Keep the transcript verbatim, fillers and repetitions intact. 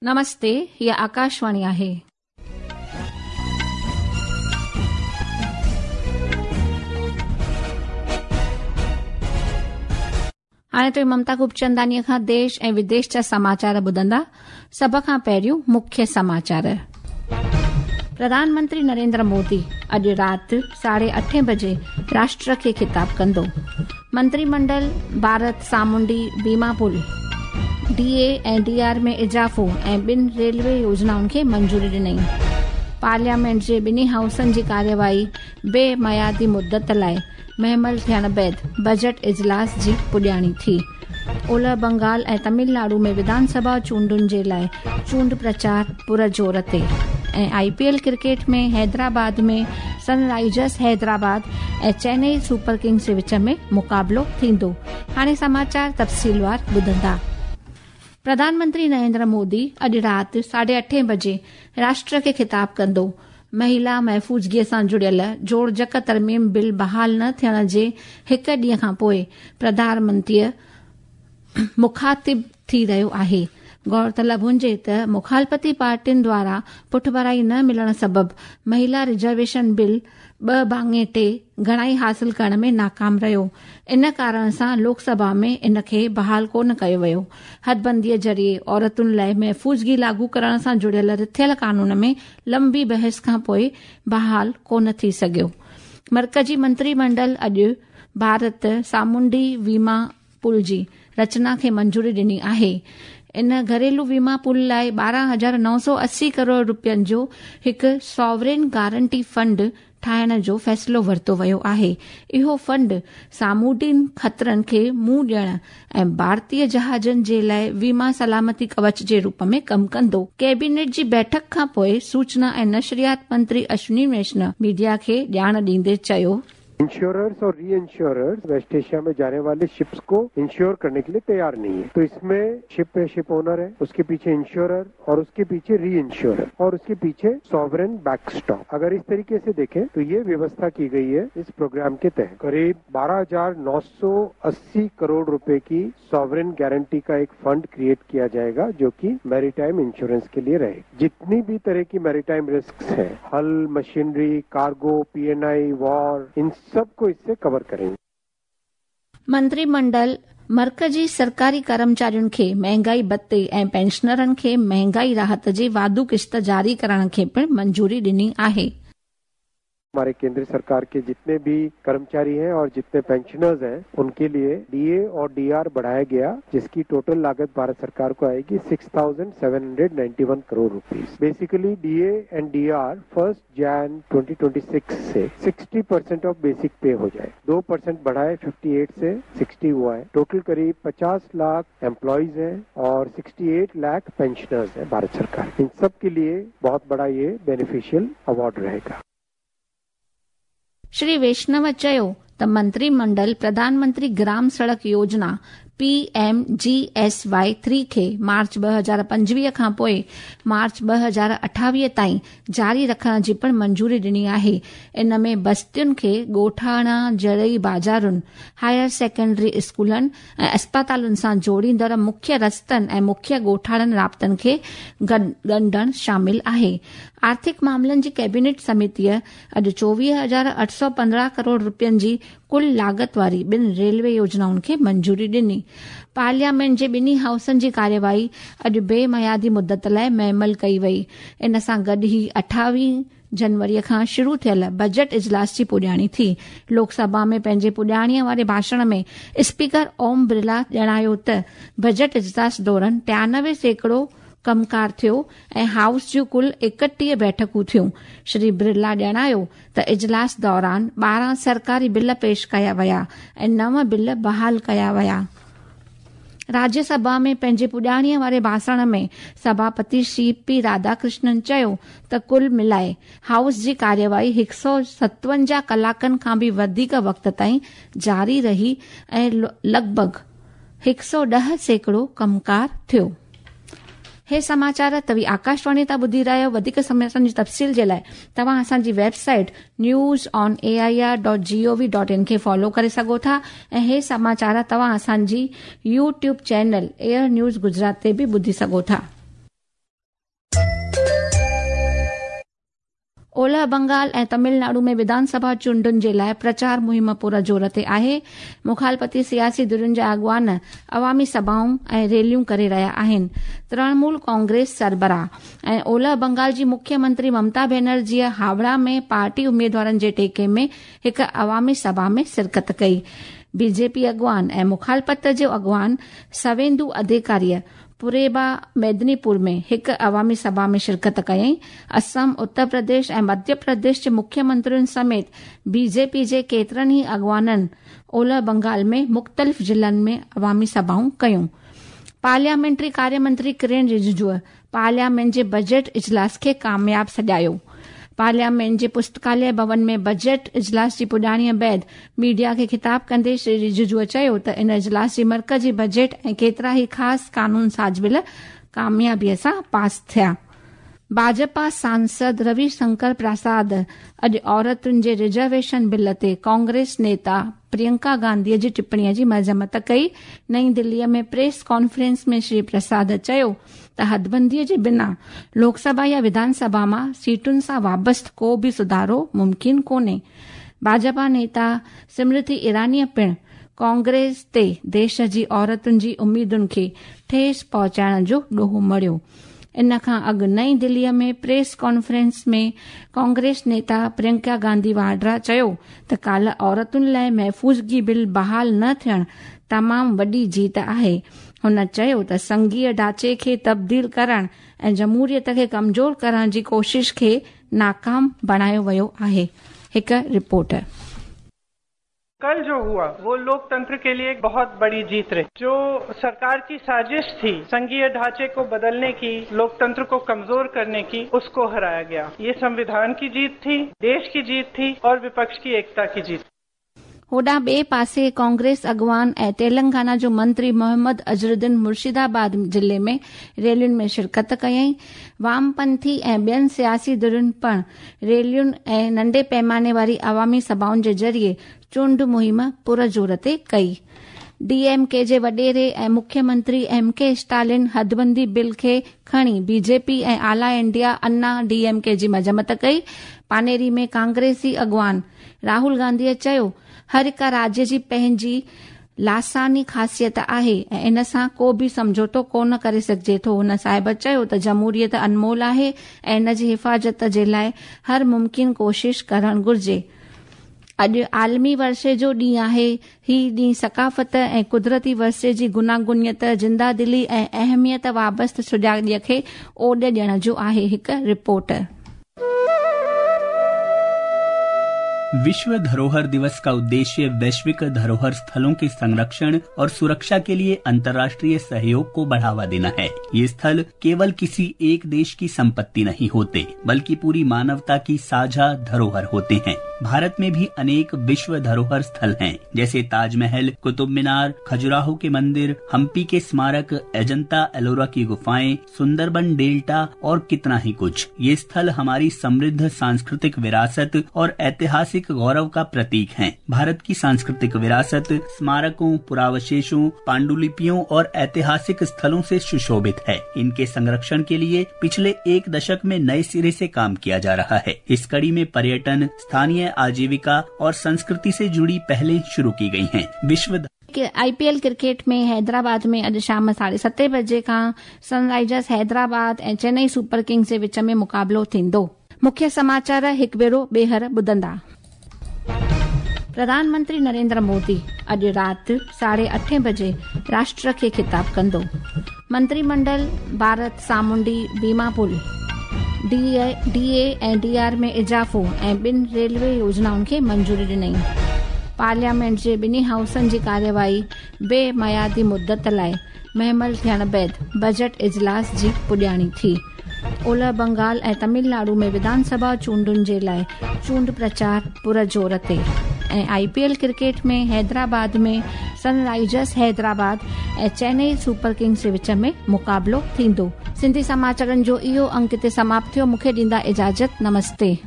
नमस्ते, हीअ आकाशवाणी आहे। हाणे त ममता खूबचंदानीअ खां देश ऐं विदेश जा समाचार ॿुधंदा। सभ खां पहिरियों मुख्य समाचार। प्रधानमंत्री नरेंद्र मोदी अॼु राति साढे अठे बजे राष्ट्र खे ख़िताब कंदो। मंत्रिमंडल भारत सामुंडी बीमा पुल डी ए ऐं डी आर में इज़ाफ़ो ऐं ॿिनि रेलवे योजनाउनि खे मंजूरी ॾिनई। पार्लियामेंट जे ॿिन्ही हाउसनि जी कार्यवाही बेमयादी मुदत लाइ महमल थियण बाद बजट इजलास जी पुॼाणी थी। ओलह बंगाल ऐं तमिलनाडु में विधानसभा चूंडुनि जे लाइ चूंड प्रचार पुर ज़ोर ते। ऐं I P L cricket में हैदराबाद में सनराइजर्स हैदराबाद ऐं चेन्नई सुपर किंग्स जे विच में मुक़ाबिलो थींदो। हाणे समाचार तफ़सीलवार ॿुधंदा। प्रधानमंत्री नरेंद्र मोदी अॼु राति साढे अठे बजे राष्ट्र खे ख़िताब कंदो। महिला महफ़ूज़गीअ सां जुड़ियल जोड़जक तरमीम बिल बहाल न थियण जे हिकु ॾींहं खां पोइ प्रधानमंत्रीअ मुखातिब थी रहियो आहे। गौरतलब हुजे त मुखालफ़ती पार्टियुनि द्वारा पुठभराई न मिलण सबबि महिला रिज़र्वेशन बिल ॿ भाङे टे घणाई हासिल करण में नाकाम रहियो। इन कारण सां लोकसभा में इन खे बहाल कोन कयो वियो। हदबंदीअ ज़रिए औरतुनि लाइ महफ़ूज़गी लागू करण सां जुड़ियल रिथियल कानून में लंबी बहस खां पोइ बहाल कोन थी सघियो। मर्कज़ी मंत्रिमंडल अॼु भारत सामुंडी वीमा पुल जी रचना खे मंजूरी ॾिनी आहे। इन घरेलू वीमा पुल लाइ ॿारहं हज़ार नौ सौ असी करोड़ रुपयनि जो हिकु सॉवरेन गारंटी फंड ठाहिण जो फ़ैसिलो वरितो वियो आहे। इहो फंड सामुंडी ख़तरनि खे मुंहुं ॾियण ऐं भारतीय जहाज़नि जे लाइ वीमा सलामती कवच जे रूप में कमु कंदो। कैबिनेट जी बैठक खां पोइ सूचना ऐं नशरियात मंत्री अश्विनी वैष्णव मीडिया खे ॼाण ॾींदे चयो, इंश्योरर्स और री इंश्योरर्स वेस्ट एशिया में जाने वाले शिप्स को इंश्योर करने के लिए तैयार नहीं है। तो इसमें शिप है, शिप ओनर है, उसके पीछे इंश्योरर और उसके पीछे री इंश्योरर और उसके पीछे सॉवरेन बैकस्टॉप। अगर इस तरीके से देखें तो ये व्यवस्था की गई है। इस प्रोग्राम के तहत करीब बारह हजार नौ सौ अस्सी करोड़ रुपए की सॉवरेन गारंटी का एक फंड क्रिएट किया जाएगा जो की मैरीटाइम इंश्योरेंस के लिए रहेगा। जितनी भी तरह की मैरीटाइम रिस्क है, hull, machinery, cargo, P N I, war, इन सबको इससे कवर करेंगे। मंत्रिमंडल मर्कज़ी सरकारी कर्मचारियुनि खे महंगाई भत्ते ऐं पेंशनरनि खे महंगाई राहत जी वाधू किश्त जारी करण खे पिणु मंजूरी ॾिनी आहे। हमारे केंद्र सरकार के जितने भी कर्मचारी हैं और जितने पेंशनर्स हैं उनके लिए डीए और डीआर बढ़ाया गया, जिसकी टोटल लागत भारत सरकार को आएगी six thousand seven hundred ninety one crore rupees. Basically DA and DR first Jan twenty twenty six से sixty percent of basic pay हो जाए। दो परसेंट बढ़ाए, फिफ्टी एट से सिक्सटी हुआ है। टोटल करीब पचास लाख एम्प्लॉयज हैं और सिक्सटी एट लाख पेंशनर्स हैं भारत सरकार। इन सब के लिए बहुत बड़ा ये बेनिफिशियल अवार्ड रहेगा। श्री वैष्णव चयो त मंत्रिमंडल प्रधानमंत्री ग्राम सड़क योजना P M G S Y three खे मार्च ॿ हज़ार पंजवीह खां पोइ मार्च ॿ हज़ार अठावीह ताईं जारी रखण जी पिणु मंजूरी ॾिनी आहे। इन में बस्तियुनि खे ॻोठाणा ज़रई बाज़ारुनि, हायर सेकेंडरी स्कूलनि ऐं अस्पतालुनि सां जोड़ींदड़ मुख्य रस्तनि ऐं मुख्य ॻोठाणनि राब्तनि खे ॻंढणु शामिल आहे। आर्थिक मामलनि जी कैबिनेट समितीअ अॼु चोवीह हज़ार अठ सौ पंद्रहं करोड़ रुपयनि जी कुल लागत वारी ॿिनि रेलवे योजनाउनि खे मंजूरी ॾिनी। पार्लियामेंट जे ॿिन्ही हाउसनि जी कार्यवाही अॼु बेमयादी मुदत लाइ महमल कई वई। इन सां गॾु ई अठावीह जनवरीअ खां शुरू थियल बजट इजलास जी पुॼाणी थी। लोकसभा में पंहिंजे पुॼाणीअ वारे भाषण में स्पीकर ओम बिरला ॼाणायो त बजट इजलास दौरान टियानवे सैकड़ो कमकार थियो ऐं हाउस जूं कुल एकटीह बैठकूं थियूं। श्री बिरला ॼाणायो त इजलास दौरान ॿारहं सरकारी बिल पेश कया विया ऐं नव बिल बहाल कया विया। राज्यसभा में पंहिंजे पुॼाणीअ वारे भाषण में सभापति श्री पी राधाकृष्णन चयो त कुल मिलाए हाउस जी कार्यवाही हिकु सौ सतवंजाह कलाकनि खां बि वधीक वक़्त ताईं जारी रही ऐं लॻभॻ हिकु सौ ॾह सैकड़ो कमकार थियो। हे समाचार तव्हीं आकाशवाणी तां ॿुधी रहिया आहियो। वधीक समाचारनि जी तफ़सील जे लाइ तव्हां असांजी website news on A I R dot G O V dot in खे फॉलो करे सघो था ऐं हे समाचार तव्हां असांजी YouTube channel air news Gujarat ते बि ॿुधी सघो था। ओलह बंगाल ऐं तमिलनाडु में विधानसभा चूंडुनि जे लाइ प्रचार मुहिम पुर ज़ोर ते आहे। मुखालपति सियासी धिरुनि जा अॻुवान अवामी सभाऊं ऐं रैलियूं करे रहिया आहिनि। तृणमूल कांग्रेस सरबराह ऐं ओलह बंगाल जी मुख्यमंत्री ममता बनर्जीअ हावड़ा में पार्टी उमेदवारनि जे टेके में हिकु अवामी सभा में शिरकत कई। बीजेपी अॻुवान ऐं मुखालपत जो अॻुवान सवेंदु अधिकारीअ पुरेबा मेदिनीपुर में हिकु अवामी सभा में शिरकत कयईं। असम, उत्तर प्रदेश ऐं मध्य प्रदेश जे मुख्यमंत्रियुनि समेत बीजेपी जे केतिरनि ई अॻुवाननि ओलह बंगाल में मुख़्तलिफ़ ज़िलनि में अवामी सभाऊं कयूं। पार्लियामेंट्री कार्यमंत्री किरण रिजिजूअ पार्लियामेंट जे बजट इजलास खे कामयाब सॾायो। पार्लियामेंट जे पुस्तकालय भवन में बजट इजलास जी पुॼाणीअ बाद मीडिया खे ख़िताब कंदे श्री रिजिजूअ चयो त इन इजलास जी मर्कज़ी बजट ऐं केतिरा ई ख़ासि कानून साज़ बिल कामयाबीअ सां पास थिया। भाजपा सांसद रविशंकर प्रसाद अॼु औरतुनि जे रिज़र्वेशन बिल ते कांग्रेस नेता प्रियंका गांधीअ जी टिप्पणीअ जी मज़म्मत कई। नई दिल्लीअ में प्रेस कॉन्फ्रेंस में श्री प्रसाद चयो त हदबंदीअ जे बिना लोकसभा या विधानसभा मां सीटुनि सां वाबस्ता को बि सुधारो मुमकिन कोन्हे। भाजपा नेता स्मृति ईरानीअ पिणु कांग्रेस ते देश जी औरतुनि जी उम्मीदुनि खे ठेस पहुचाइण जो ॾोह मढ़ियो। इन खां अॻु नई दिल्लीअ में प्रेस कॉन्फ्रेंस में कांग्रेस नेता प्रियंका गांधी वाड्रा चयो त काल्ह औरतुनि लाइ महफ़ूज़गी बिल बहाल न थियणु तमामु वॾी जीत आहे। हुन चयो त संघीय ढांचे खे तब्दील करण ऐं जमहूरियत खे कमज़ोर करण जी कोशिश खे नाकाम बणायो वियो आहे। हिकु रिपोर्ट। कल जो हुआ वो लोकतंत्र के लिए एक बहुत बड़ी जीत रही। जो सरकार की साजिश थी संघीय ढांचे को बदलने की, लोकतंत्र को कमजोर करने की, उसको हराया गया। ये संविधान की जीत थी, देश की जीत थी और विपक्ष की एकता की जीत। होॾां ॿिए पासे कांग्रेस अॻुवान ऐं तेलंगाना जो मंत्री मोहम्मद अज़रुद्दीन मुर्शिदाबाद ज़िले में रैलियुनि में शिरकत कयईं। वामपंथी ऐं ॿियनि सियासी धिरुनि पिणु रैलियुनि ऐं नंढे पैमाने वारी अवामी सभाउनि जे ज़रिए चूंड मुहिम पुर ज़ोर ते कई। डीएमके जे वॾेरे ऐं मुख्यमंत्री एम के स्टालिन हदबंदी बिल खे खणी बीजेपी ऐं आला इंडिया अन्ना डीएमके जी मज़म्मत कई। पानेरी में कांग्रेसी अॻुवान राहुल गांधीअ चयो हर हिकु राज्य जी पंहिंजी लासानी ख़ासियत आहे ऐं इन सां को बि सम्झौतो कोन करे सघिजे थो। हुन साहिब चयो त जमहूरियत अनमोल आहे ऐं इन जी हिफ़ाज़त जे लाइ हर मुमकिन कोशिश करणु घुरिजे। अॼु आलमी वर्षे जो ॾींहुं आहे। ही ॾींहुं सकाफ़त ऐं कुदरती वर्षे जी गुनागुनियत, ज़िंदा दिली ऐं अहमियत वाबस्ता सुॼागीअ खे ओॾ ॾियण जो आहे। हिकु रिपोर्ट। विश्व धरोहर दिवस का उद्देश्य वैश्विक धरोहर स्थलों के संरक्षण और सुरक्षा के लिए अंतर्राष्ट्रीय सहयोग को बढ़ावा देना है। ये स्थल केवल किसी एक देश की संपत्ति नहीं होते, बल्कि पूरी मानवता की साझा धरोहर होते हैं। भारत में भी अनेक विश्व धरोहर स्थल हैं, जैसे ताजमहल, कुतुब मीनार, खजुराहो के मंदिर, हम्पी के स्मारक, अजंता एलोरा की गुफाएं, सुंदरबन डेल्टा और कितना ही कुछ। ये स्थल हमारी समृद्ध सांस्कृतिक विरासत और ऐतिहासिक गौरव का प्रतीक हैं। भारत की सांस्कृतिक विरासत स्मारकों, पुरावशेषों, पांडुलिपियों और ऐतिहासिक स्थलों से सुशोभित है। इनके संरक्षण के लिए पिछले एक दशक में नए सिरे से काम किया जा रहा है। इस कड़ी में पर्यटन, स्थानीय आजीविका और संस्कृति से जुड़ी पहलें शुरू की गई हैं। विश्व आईपीएल क्रिकेट में हैदराबाद में अॼु शाम साढ़े सते बजे खां सनराइजर्स हैदराबाद ऐं चेन्नई सुपर किंग्स जे विच में मुक़ाबिलो थींदो। मुख्य समाचार हिकु भेरो ॿीहर ॿुधंदा। प्रधानमंत्री नरेंद्र मोदी अॼु राति साढ़े अठे बजे राष्ट्र खे ख़िताब कंदो। मंत्रिमंडल भारत सामुंडी बीमा पुल, डीए ऐं डीआर में इज़ाफ़ो ऐं ॿिनि रेलवे योजनाउनि खे मंजूरी ॾिनई। पार्लियामेंट जे ॿिन्ही हाउसनि जी कार्यवाही बेमयादी मुदत लाइ महमल थियण बाद बजट इजलास जी पुॼाणी थी। ओलह बंगाल ऐं तमिलनाडु में विधानसभा चूंडुनि जे लाइ चूंड प्रचार पुर ज़ोर ते। ऐं आईपीएल क्रिकेट में हैदराबाद में सनराइजर्स हैदराबाद ऐं चेन्नई सुपर किंग्स जे विच में मुक़ाबिलो थींदो। सिंधी समाचारनि जो इहो अंक हिते समाप्त थियो। मूंखे ॾींदा इजाज़त। नमस्ते।